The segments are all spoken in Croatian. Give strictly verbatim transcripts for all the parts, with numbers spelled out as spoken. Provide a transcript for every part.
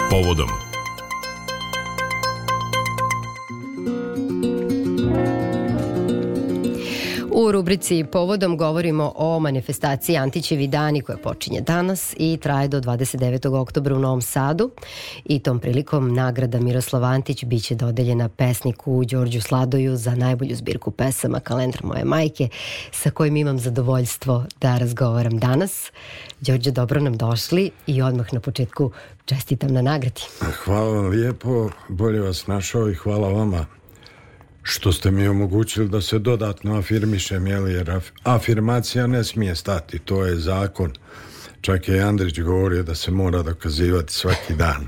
Povodom. U rubrici Povodom govorimo o manifestaciji Antićevi dani koja počinje danas i traje do dvadeset devetog oktobra u Novom Sadu i tom prilikom nagrada Miroslav Antić biće dodeljena pesniku Đorđu Sladoju za najbolju zbirku pesama Kalendar moje majke, sa kojim imam zadovoljstvo da razgovaram danas. Đorđe, dobro nam došli i odmah na početku čestitam na nagradi. Hvala vam lijepo, bolje vas našao i hvala vama što ste mi omogućili da se dodatno afirmišem, jer afirmacija ne smije stati, to je zakon. Čak je Andrić govorio da se mora dokazivati svaki dan.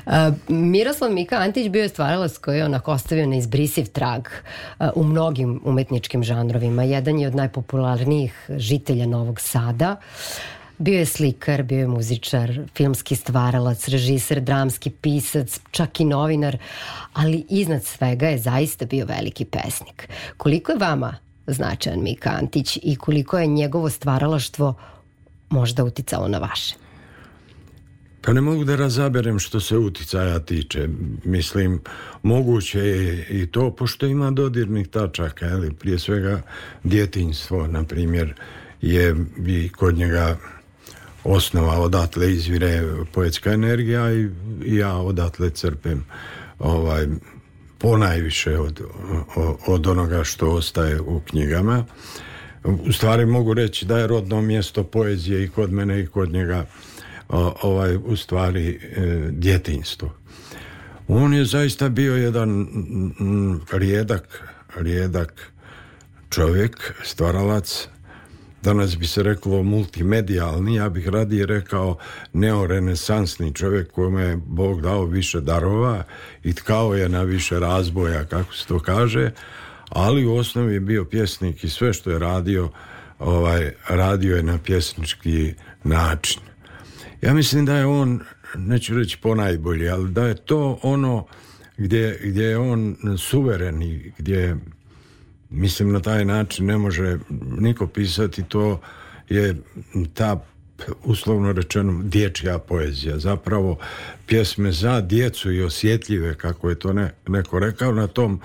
Uh, Miroslav Mika Antić bio je stvaralac koji je onako ostavio neizbrisiv trag uh, u mnogim umetničkim žanrovima. Jedan je od najpopularnijih žitelja Novog Sada. Bio je slikar, bio je muzičar, filmski stvaralac, režiser, dramski pisac, čak i novinar, ali iznad svega je zaista bio veliki pesnik. Koliko je vama značajan Mika Antić i koliko je njegovo stvaralaštvo možda uticalo na vaše? Pa ne mogu da razaberem što se uticaja tiče. Mislim, moguće je i to, pošto ima dodirnih tačaka, ali prije svega djetinjstvo, na primjer, je i kod njega osnova, odatle izvire poetska energija i, i ja odatle crpem ovaj, ponajviše od, od onoga što ostaje u knjigama. U stvari mogu reći da je rodno mjesto poezije i kod mene i kod njega ovaj, u stvari e, djetinjstvo. On je zaista bio jedan m, rijedak, rijedak čovjek, stvaralac. Danas bi se reklo multimedijalni, ja bih radije rekao neorenesansni čovjek kojemu je Bog dao više darova i tkao je na više razboja, kako se to kaže, ali u osnovi je bio pjesnik i sve što je radio, ovaj, radio je na pjesnički način. Ja mislim da je on, neću reći ponajbolji, ali da je to ono gdje, gdje je on suveren i gdje, mislim, na taj način ne može niko pisati, to je ta, uslovno rečeno, dječja poezija. Zapravo pjesme za djecu i osjetljive, kako je to ne, neko rekao, na tom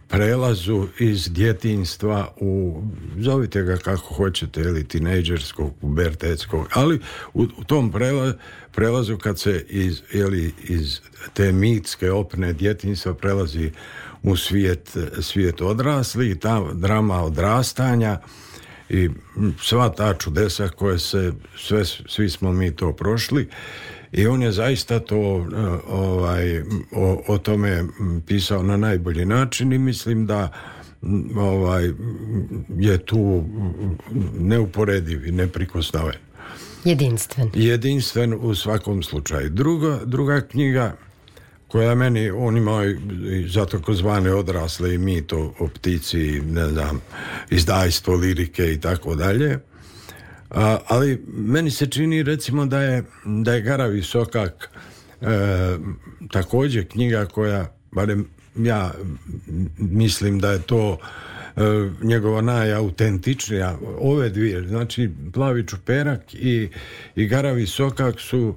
prelazu iz djetinjstva u, zovite ga kako hoćete, ili tinejdžerskog, pubertetskog, ali u, u tom prela, prelazu kad se iz, ili iz te mitske opne djetinjstva prelazi u svijet, svijet odrasli i ta drama odrastanja i sva ta čudesa koje se, sve, svi smo mi to prošli i on je zaista to ovaj, o, o tome pisao na najbolji način i mislim da ovaj, je tu neuporediv i neprikosnoven. Jedinstven. Jedinstven u svakom slučaju. Druga, druga knjiga koja meni, on ima i za takozvane odrasle i mito o ptici, ne znam, izdajstvo, lirike i tako dalje. Ali meni se čini, recimo, da je, da je Garavi sokak e, također knjiga koja, barem ja mislim da je to e, njegova najautentičnija. Ove dvije, znači Plavi čuperak i, i Garavi sokak su,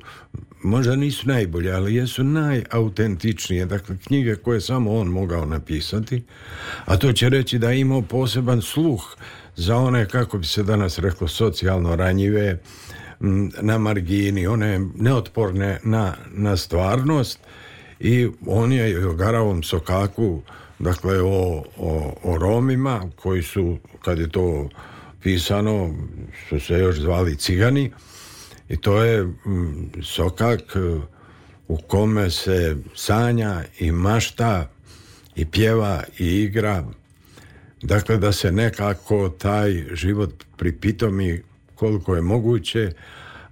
možda nisu najbolje, ali jesu najautentičnije. Dakle, knjige koje samo on mogao napisati, a to će reći da je imao poseban sluh za one, kako bi se danas reklo, socijalno ranjive, na margini, one neotporne na, na stvarnost, i on je o Garavom sokaku, dakle o, o, o Romima koji su, kad je to pisano, su se još zvali Cigani, i to je mm, sokak u kome se sanja i mašta i pjeva i igra. Dakle, da se nekako taj život pripitomi koliko je moguće,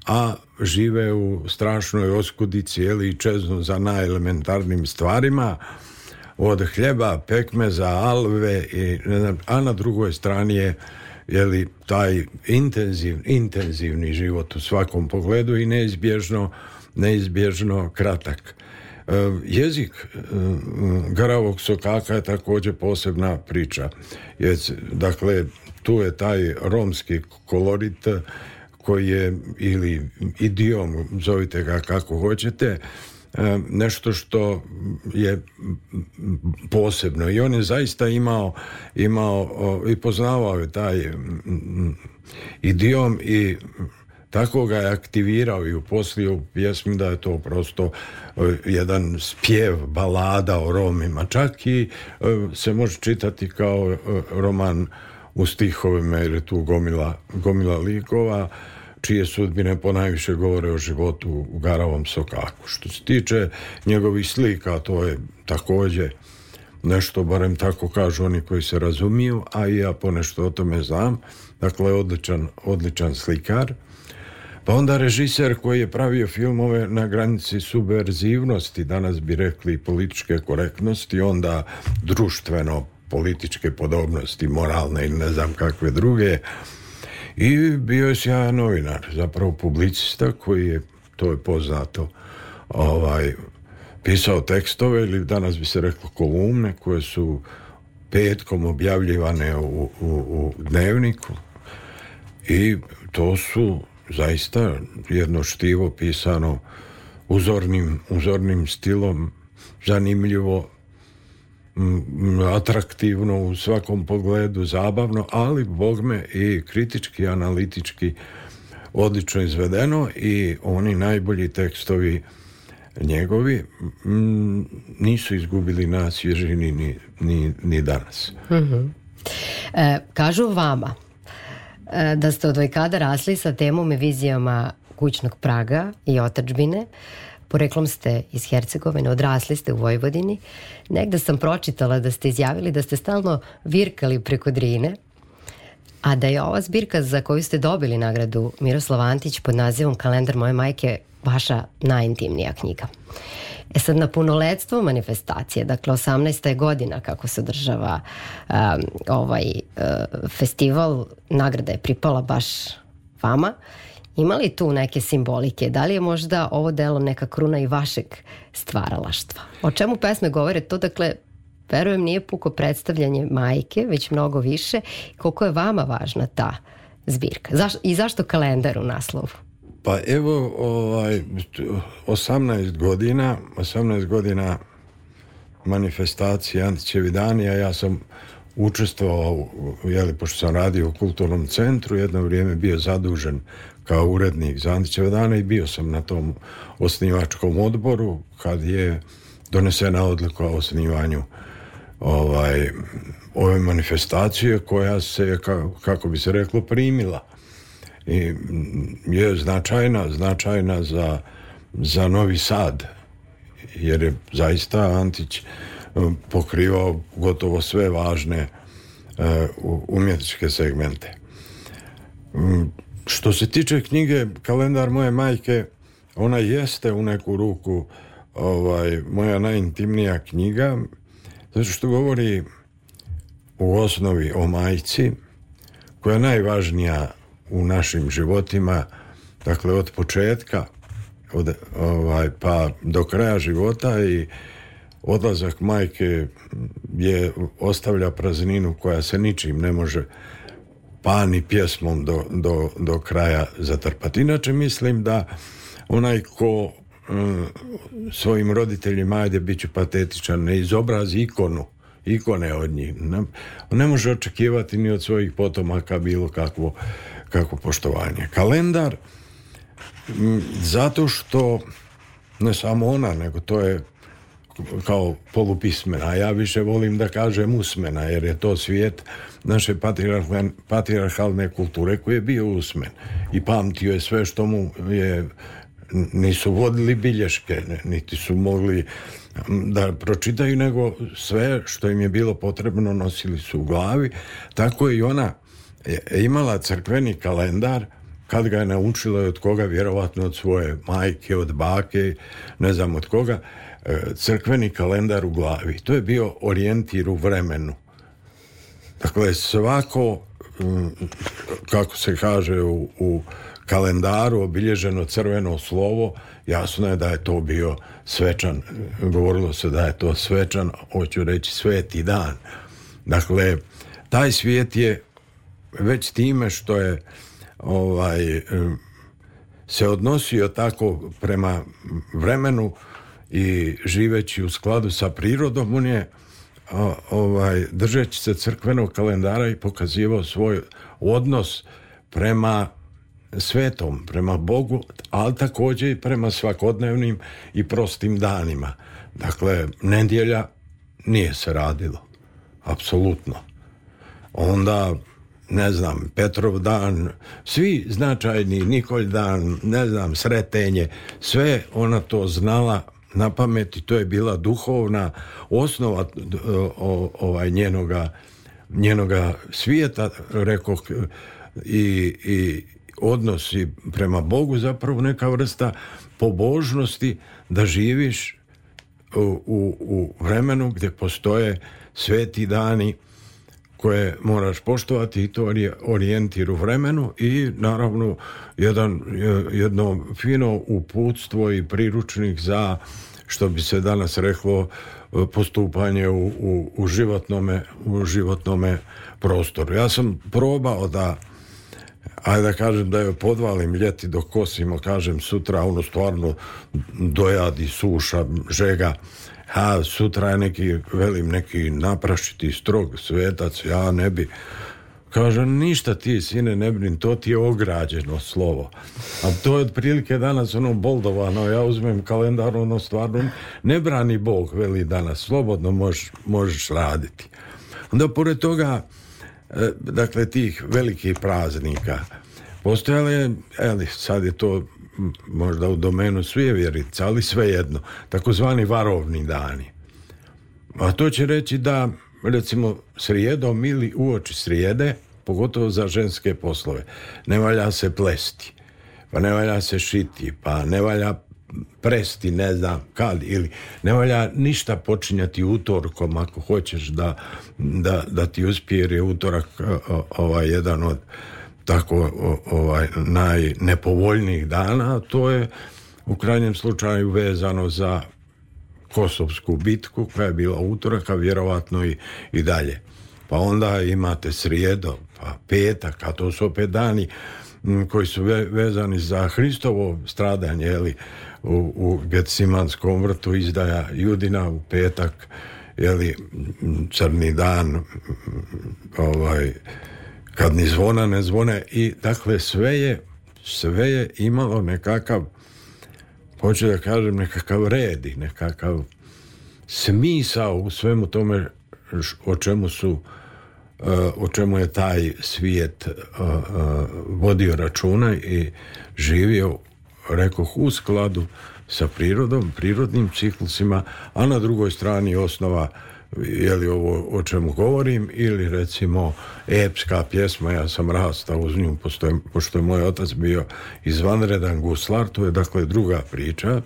a žive u strašnoj oskudici, ili čeznu za najelementarnim stvarima, od hljeba, pekmeza, alve, i, ne znam, a na drugoj strani je, jeli, taj intenziv, intenzivni život u svakom pogledu i neizbježno, neizbježno kratak. E, jezik e, Garavog sokaka je također posebna priča. Je, dakle, tu je taj romski kolorit koji je, ili idiom, zovite ga kako hoćete, nešto što je posebno. I on je zaista imao, imao i poznavao je taj idiom i tako ga je aktivirao i uposlio u pjesmi da je to prosto jedan spjev, balada o Romima. Čak i se može čitati kao roman u stihovima, jer je tu gomila, gomila likova čije sudbine ponajviše govore o životu u Garavom sokaku. Što se tiče njegovih slika, to je također nešto, barem tako kažu oni koji se razumiju, a i ja ponešto o tome znam. Dakle, odličan, odličan slikar. Pa onda režiser koji je pravio filmove na granici subverzivnosti, danas bi rekli političke korektnosti, onda društveno političke podobnosti, moralne ili ne znam kakve druge. I bio je sjajan novinar, zapravo publicista koji je, to je poznato, ovaj, pisao tekstove ili danas bi se reklo kolumne koje su petkom objavljivane u, u, u dnevniku i to su zaista jedno štivo pisano uzornim, uzornim stilom, zanimljivo, atraktivno u svakom pogledu, zabavno, ali bogme i kritički, analitički odlično izvedeno i oni najbolji tekstovi njegovi m, nisu izgubili na svježini ni, ni, ni danas. Mm-hmm. E, kažu vama e, da ste od vajkada rasli sa temom i vizijama kućnog praga i otadžbine. Poreklom ste iz Hercegovine, odrasli ste u Vojvodini. Negde sam pročitala da ste izjavili da ste stalno virkali preko Drine, a da je ova zbirka za koju ste dobili nagradu Miroslav Antić pod nazivom Kalendar moje majke vaša najintimnija knjiga. E sad, na punoletstvo manifestacije, dakle osamnaesta je godina kako se održava um, ovaj uh, festival, nagrada je pripala baš vama. Ima li tu neke simbolike? Da li je možda ovo delo neka kruna i vašeg stvaralaštva? O čemu pesme govore? To, dakle, verujem, nije puko predstavljanje majke, već mnogo više. Koliko je vama važna ta zbirka? Zaš, I zašto kalendar u naslovu? Pa evo, ovaj, osamnaest godina, osamnaest godina manifestacije Antićevi dani, a ja sam učestvovao, jeli, pošto sam radio u kulturnom centru, jedno vrijeme bio zadužen kao urednik za Antićeve dane i bio sam na tom osnivačkom odboru kad je donesena odluka o osnivanju ovaj, ove manifestacije koja se, kako bi se reklo, primila. I je značajna, značajna za, za Novi Sad, jer je zaista Antić pokrivao gotovo sve važne uh, umjetničke segmente. Um, što se tiče knjige Kalendar moje majke, ona jeste u neku ruku ovaj, moja najintimnija knjiga, zato što govori u osnovi o majci, koja je najvažnija u našim životima, dakle od početka od, ovaj, pa do kraja života, i odlazak majke je ostavlja prazninu koja se ničim ne može, pa ni pjesmom do, do, do kraja zatrpati. Inače mislim da onaj ko um, svojim roditeljima, ajde bit ću patetičan, ne izobrazi ikonu, ikone od njih, ne, ne može očekivati ni od svojih potomaka bilo kakvo, kakvo poštovanje. Kalendar, m, zato što ne samo ona, nego to je kao polupismena, a ja više volim da kažem usmena, jer je to svijet naše patrijarhalne kulture koji je bio usmen i pamtio je sve što mu je, nisu vodili bilješke, niti su mogli da pročitaju, nego sve što im je bilo potrebno nosili su u glavi. Tako je i ona imala crkveni kalendar, kad ga je naučila od koga, vjerovatno od svoje majke, od bake, ne znam od koga, crkveni kalendar u glavi. To je bio orijentir u vremenu. Dakle, svako, kako se kaže u, u kalendaru, obilježeno crveno slovo, jasno je da je to bio svečan, govorilo se da je to svečan, hoću reći sveti dan. Dakle, taj svijet je već time što je ovaj, se odnosio tako prema vremenu i živeći u skladu sa prirodom, on je ovaj, držeći se crkvenog kalendara i pokazivao svoj odnos prema svetom, prema Bogu, ali također i prema svakodnevnim i prostim danima. Dakle, nedjelja nije se radilo. Apsolutno. Onda, ne znam, Petrov dan, svi značajni, Nikolj dan, ne znam, Sretenje, sve ona to znala na pamet i to je bila duhovna osnova o, ovaj, njenoga, njenoga svijeta, rekoh, i, i odnosi prema Bogu, zapravo neka vrsta pobožnosti da živiš u, u, u vremenu gdje postoje sveti dani koje moraš poštovati i to orijentir u vremenu i naravno jedan, jedno fino uputstvo i priručnik za, što bi se danas reklo, postupanje u, u, u, životnome, u životnome prostoru. Ja sam probao da, ajde da kažem da je podvalim ljeti dok kosimo, kažem sutra ono stvarno dojadi, suša, žega, a sutra je neki, velim, neki naprašiti strog svetac, ja ne bi, kažem, ništa ti, sine, ne brin, to ti je ograđeno slovo. A to je otprilike danas ono boldovano, ja uzmem kalendar, ono stvarno ne brani Bog, veli danas, slobodno možeš, možeš raditi. Onda pored toga, dakle, tih velikih praznika, postojale, eli, sad je to možda u domenu svijevjerica, ali svejedno, takozvani varovni dani. A to će reći da, recimo, srijedom ili uoči srijede, pogotovo za ženske poslove, ne valja se plesti, pa ne valja se šiti, pa ne valja presti, ne znam kad, ili ne valja ništa počinjati utorkom ako hoćeš da, da, da ti uspije, jer je utorak ovaj, jedan od tako ovaj, najnepovoljnijih dana, to je u krajnjem slučaju vezano za Kosovsku bitku koja je bila utorak, a vjerovatno i, i dalje. Pa onda imate srijedo, pa petak, a to su opet dani m, koji su ve, vezani za Hristovo stradanje, jeli, u, u Getsemanskom vrtu, izdaja Judina u petak, jeli, crni dan, ovaj, kad ni zvona ne zvone, i dakle sve je, sve je imalo nekakav, hoću da kažem, nekakav red i nekakav smisao u svemu tome o čemu su, o čemu je taj svijet vodio računa i živio, rekoh, u skladu sa prirodom, prirodnim ciklusima, a na drugoj strani osnova, je li ovo o čemu govorim, ili recimo epska pjesma, ja sam rastao uz nju, pošto je, pošto je moj otac bio izvanredan guslar, to je dakle druga priča,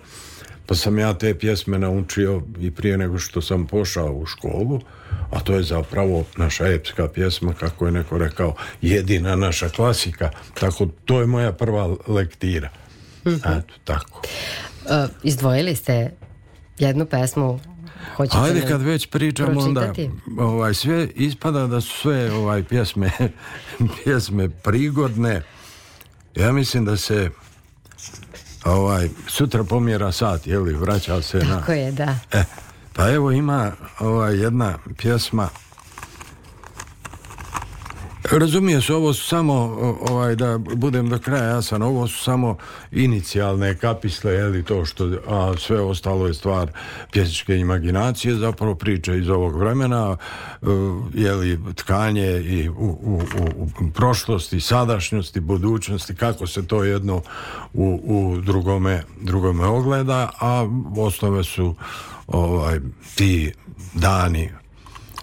pa sam ja te pjesme naučio i prije nego što sam pošao u školu, a to je zapravo naša epska pjesma, kako je neko rekao, jedina naša klasika, tako to je moja prva lektira. Mm-hmm. Eto, tako. Uh, izdvojili ste jednu pesmu. Hoćete Ajde, kad već pričamo, onda ovaj, sve ispada da su sve ovaj, pjesme, pjesme prigodne. Ja mislim da se ovaj, sutra pomjera sat, jeli, vraća se na... Tako je, da. E, pa evo ima ovaj, jedna pjesma. Razumije se, ovo su samo, ovaj, da budem do kraja jasan, ovo su samo inicijalne kapisle, jeli, to što, a sve ostalo je stvar pjesničke imaginacije, zapravo priče iz ovog vremena, jeli, tkanje i u, u, u prošlosti, sadašnjosti, budućnosti, kako se to jedno u, u drugome, drugome ogleda, a osnove su ovaj, ti dani,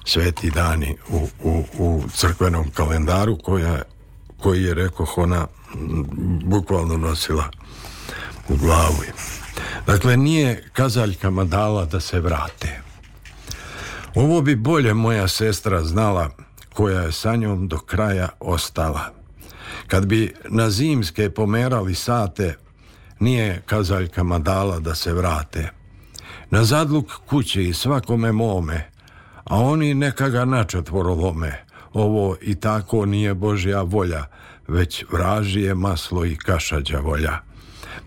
sveti dani u, u, u crkvenom kalendaru koja, koji je, rekoh, ona bukvalno nosila u glavu. Dakle, nije kazaljkama dala da se vrate. Ovo bi bolje moja sestra znala, koja je sa njom do kraja ostala. Kad bi na zimske pomerali sate, nije kazaljkama dala da se vrate. Na zadluk kući i svakome mome, a oni neka ga načetvoro lome. Ovo i tako nije Božja volja, već vražije maslo i kaša đavolja.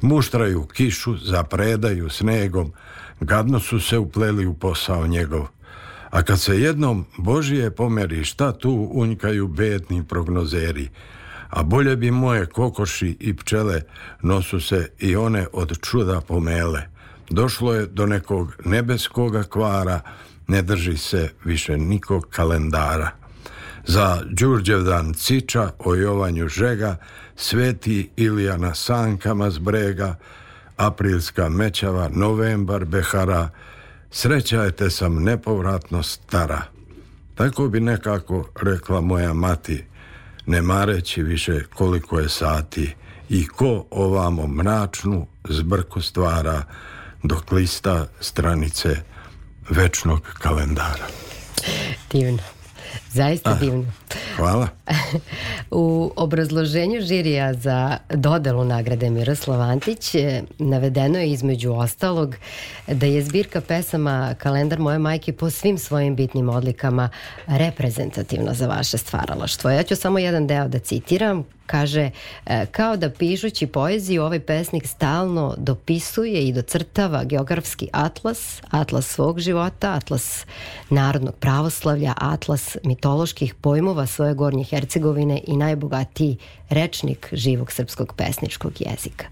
Muštraju kišu, zapredaju snegom, gadno su se upleli u posao njegov. A kad se jednom Božije pomeri, šta tu unjkaju bedni prognozeri? A bolje bi moje kokoši i pčele, nosu se i one od čuda pomele. Došlo je do nekog nebeskoga kvara, ne drži se više nikog kalendara. Za Đurđevdan ciča, o Jovanju žega, sveti Ilija na sankama zbrega, aprilska mećava, novembar behara, sreća je te sam nepovratno stara. Tako bi nekako rekla moja mati, ne mareći više koliko je sati i ko ovamo mračnu zbrku stvara dok lista stranice večnog kalendara. Divno. Zaista divno. Hvala. U obrazloženju žirija za dodelu nagrade Miroslav Antić navedeno je između ostalog da je zbirka pesama Kalendar moje majke po svim svojim bitnim odlikama reprezentativna za vaše stvaralaštvo. Ja ću samo jedan deo da citiram. Kaže, kao da pišući poeziju ovaj pesnik stalno dopisuje i docrtava geografski atlas, atlas svog života, atlas narodnog pravoslavlja, atlas mitoloških pojmova svoje Gornje Hercegovine i najbogatiji rečnik živog srpskog pesničkog jezika.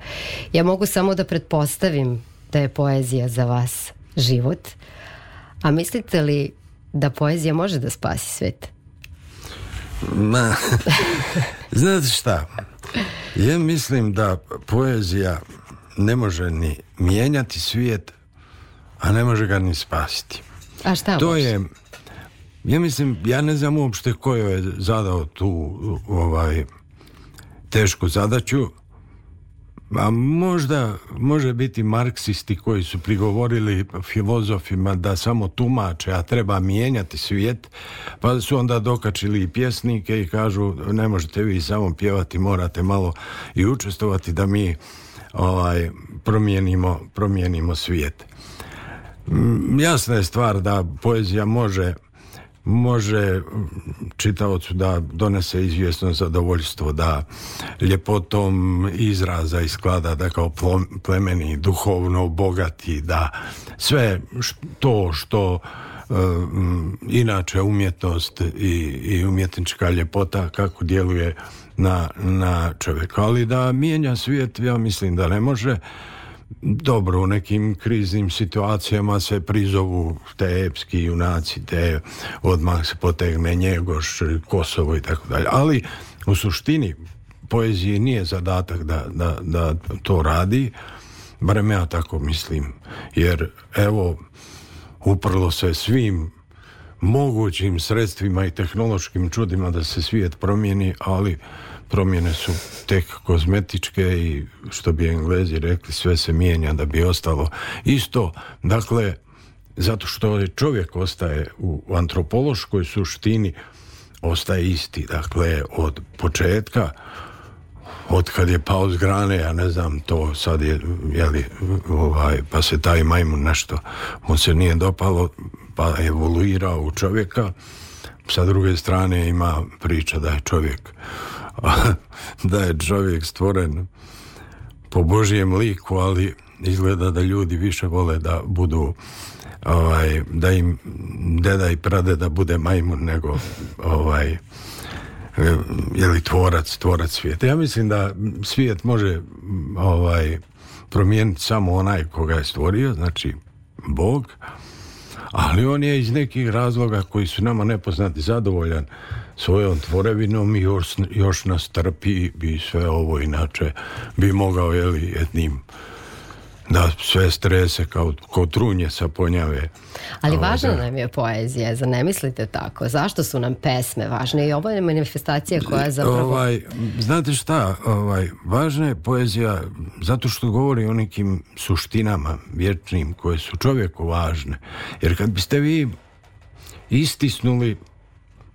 Ja mogu samo da pretpostavim da je poezija za vas život, a mislite li da poezija može da spasi svet? Ma, znate šta, ja mislim da poezija ne može ni mijenjati svijet, a ne može ga ni spasiti. A šta to može? je, ja mislim, ja ne znam uopšte ko je zadao tu ovaj tešku zadaću, a možda može biti marksisti koji su prigovorili filozofima da samo tumače, a treba mijenjati svijet, pa su onda dokačili i pjesnike i kažu ne možete vi samo pjevati, morate malo i učestvovati da mi ovaj, promijenimo, promijenimo svijet. Jasna je stvar da poezija može može čitaocu da donese izvjesno zadovoljstvo, da ljepotom izraza i sklada, da kao plemeni, duhovno bogati, da sve to što um, inače umjetnost i, i umjetnička ljepota kako djeluje na, na čovjeka. Ali da mijenja svijet, ja mislim da ne može. Dobro, u nekim kriznim situacijama se prizovu te epski junaci, te odmah se potegne Njegoš, Kosovo i tako dalje. Ali u suštini poeziji nije zadatak da, da, da to radi, barem ja tako mislim. Jer evo, uprlo se svim mogućim sredstvima i tehnološkim čudima da se svijet promijeni, ali promjene su tek kozmetičke i što bi Englezi rekli, sve se mijenja da bi ostalo isto. Dakle, zato što čovjek ostaje u antropološkoj suštini, ostaje isti. Dakle, od početka, od kad je pao s grane, ja ne znam, to sad je, jeli, ovaj, pa se taj majmun nešto mu se nije dopalo, pa evoluirao u čovjeka. Sa druge strane ima priča da je čovjek da je čovjek stvoren po Božijem liku, ali izgleda da ljudi više vole da budu ovaj, da im deda i pradeda bude majmun nego ovaj, je li tvorac, tvorac svijeta. Ja mislim da svijet može ovaj, promijeniti samo onaj koga je stvorio, znači Bog, ali on je iz nekih razloga koji su nama nepoznati zadovoljan svojom tvorevinom i još, još nas trpi i sve ovo, inače bi mogao, jeli, jednim da sve strese kao, kao trunje sa ponjave. Ali važna nam je poezija, zar ne mislite tako? Zašto su nam pesme važne? I ovo je manifestacija koja zapravo... Ovaj, znate šta, ovaj, važna je poezija zato što govori o nekim suštinama vječnim koje su čovjeku važne. Jer kad biste vi istisnuli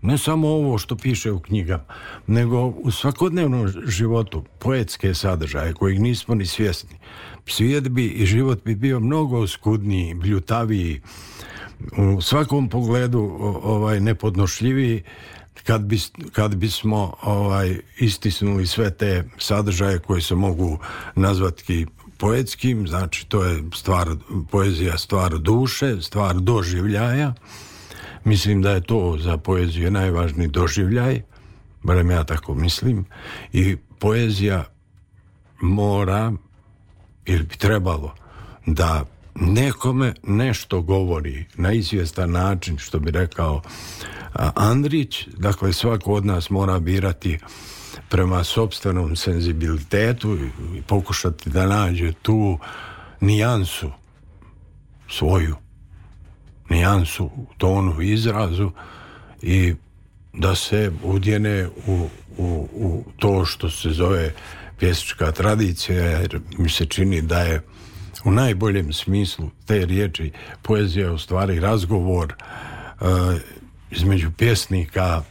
ne samo ovo što piše u knjigama, nego u svakodnevnom životu poetske sadržaje kojih nismo ni svjesni, svijet bi i život bi bio mnogo skudniji, bljutaviji, u svakom pogledu ovaj, nepodnošljiviji, kad, bi, kad bismo ovaj, istisnuli sve te sadržaje koji se mogu nazvati poetskim, znači to je stvar, poezija stvar duše, stvar doživljaja. Mislim da je to za poeziju najvažniji doživljaj, barem ja tako mislim, i poezija mora, ili bi trebalo, da nekome nešto govori na izvjestan način, što bi rekao Andrić. Dakle, svako od nas mora birati prema sopstvenom senzibilitetu i pokušati da nađe tu nijansu svoju, nijansu u tonu, izrazu i da se udjene u, u, u to što se zove pjesnička tradicija, jer mi se čini da je u najboljem smislu te riječi poezija u stvari razgovor uh, između pjesnika,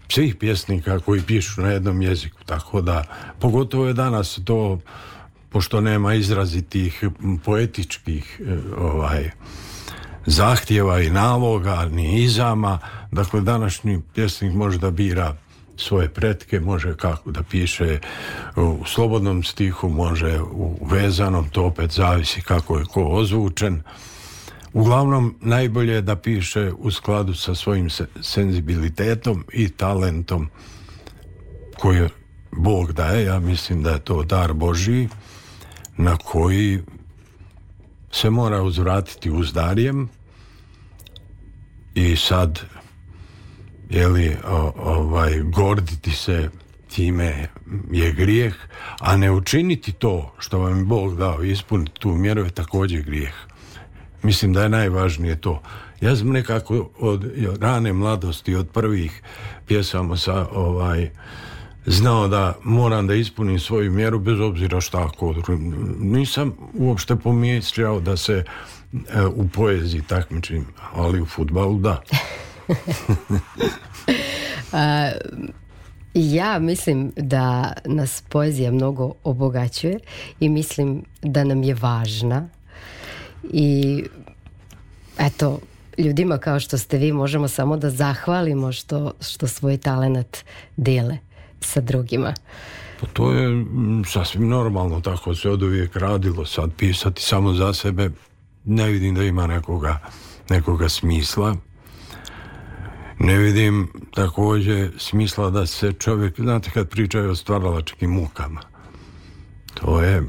svih pjesnika koji pišu na jednom jeziku, tako da pogotovo je danas to, pošto nema izrazitih poetičkih ovaj, zahtjeva i naloga ni izama, dakle današnji pjesnik može da bira svoje pretke, može kako da piše u slobodnom stihu, može u vezanom, to opet zavisi kako je ko ozvučen. Uglavnom, najbolje je da piše u skladu sa svojim senzibilitetom i talentom koji Bog daje. Ja mislim da je to dar Božji na koji se mora uzvratiti uzdarjem i sad jeli, o, ovaj, gorditi se time je grijeh, a ne učiniti to što vam je Bog dao, ispuniti tu mjeru je također grijeh. Mislim da je najvažnije to. Ja sam nekako od rane mladosti, od prvih pjesama sa ovaj znao da moram da ispunim svoju mjeru bez obzira šta ko. Nisam uopšte pomišljao da se e, u poeziji takmičim, ali u fudbalu da. A, ja mislim da nas poezija mnogo obogaćuje i mislim da nam je važna i eto, ljudima kao što ste vi možemo samo da zahvalimo što, što svoj talenat dele sa drugima. Pa to je sasvim normalno, tako se od uvijek radilo. Sad pisati samo za sebe ne vidim da ima nekoga, nekoga smisla. Ne vidim također smisla da se čovjek, znate kad pričaju o stvaralačkim mukama, to je,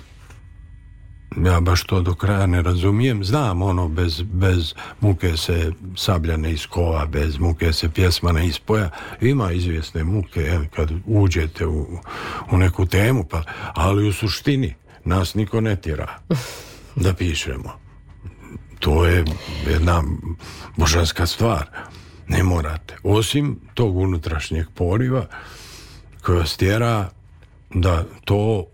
ja baš to do kraja ne razumijem. Znam ono, bez, bez muke se sablja ne iskova, bez muke se pjesma ne ispoja. Ima izvjesne muke, jel, kad uđete u, u neku temu, pa, ali u suštini nas niko ne tjera da pišemo. To je jedna božanska stvar. Ne morate. Osim tog unutrašnjeg poriva koja vas tjera da to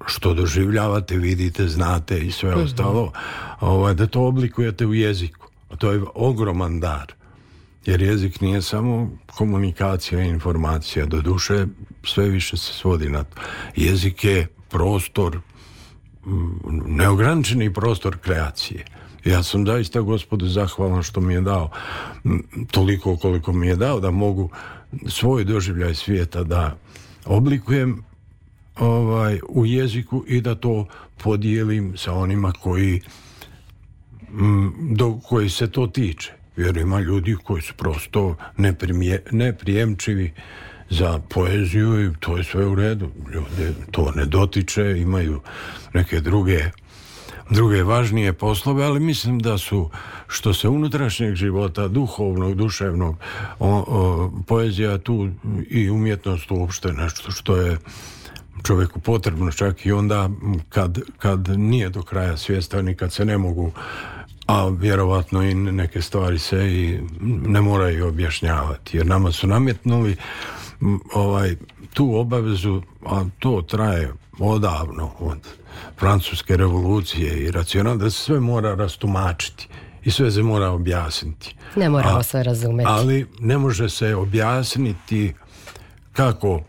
što doživljavate, vidite, znate i sve mm-hmm. ostalo, ovaj, da to oblikujete u jeziku. A to je ogroman dar. Jer jezik nije samo komunikacija i informacija. Do duše sve više se svodi na to. Jezik je prostor, neograničeni prostor kreacije. Ja sam zaista Gospodu zahvalan što mi je dao toliko koliko mi je dao da mogu svoj doživljaj svijeta da oblikujem ovaj, u jeziku i da to podijelim sa onima koji, do koji se to tiče. Jer ima ljudi koji su prosto neprimje, neprijemčivi za poeziju i to je sve u redu. Ljudi to ne dotiče, imaju neke druge druge važnije poslove, ali mislim da su, što se unutrašnjeg života, duhovnog, duševnog, o, o, poezija tu i umjetnost uopšte nešto što je čovjeku potrebno, čak i onda kad, kad nije do kraja svjestan i kad se ne mogu, a vjerovatno i neke stvari se i ne moraju objašnjavati, jer nama su nametnuli ovaj, tu obavezu, a to traje odavno, od Francuske revolucije i racionalno, da se sve mora rastumačiti i sve se mora objasniti. Ne moramo a, sve razumeti. Ali ne može se objasniti kako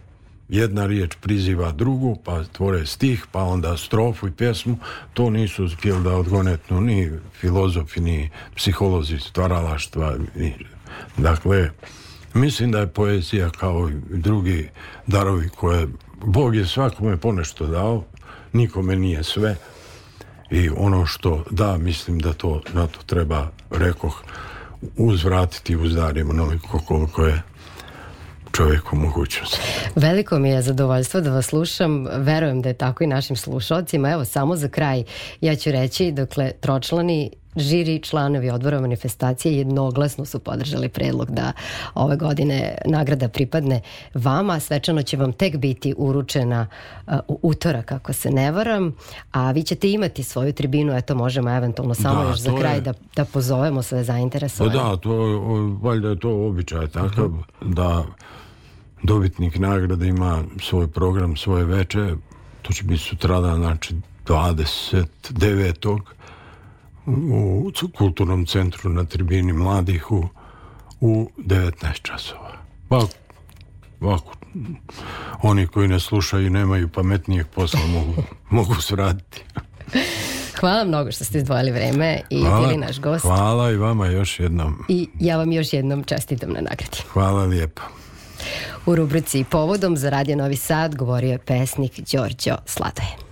jedna riječ priziva drugu, pa tvore stih, pa onda strofu i pjesmu. To nisu uspjeli da odgonetnu ni filozofi, ni psiholozi stvaralaštva. Ni, dakle, Mislim da je poezija kao i drugi darovi koje Bog je svakome ponešto dao, nikome nije sve i ono što da, mislim da to na to treba, rekoh, uzvratiti, uzdarimo onoliko koliko je čovjeku mogućnost. Veliko mi je zadovoljstvo da vas slušam, verujem da je tako i našim slušalcima. Evo, samo za kraj ja ću reći, dokle tročlani žiri članovi odbora manifestacije jednoglasno su podržali predlog da ove godine nagrada pripadne vama. Svečano će vam tek biti uručena uh, u utorak, ako se ne varam, a vi ćete imati svoju tribinu, eto možemo eventualno samo da, još za kraj je... da, da pozovemo sve zainteresovane. Da, to, valjda je to običaj takav, uh-huh. da dobitnik nagrade ima svoj program, svoje veče, to će biti sutradan, znači dvadeset devetog u kulturnom centru na tribini mladih u, u devetnaest časova. Pa, ovako, oni koji ne slušaju i nemaju pametnijeg posla mogu, mogu sraditi. Hvala mnogo što ste izdvojili vreme i hvala, bili naš gost. Hvala i vama još jednom. I ja vam još jednom čestitam na nagradi. Hvala lijepo. U rubrici Povodom za Radio Novi Sad govorio je pesnik Đorđo Sladoje.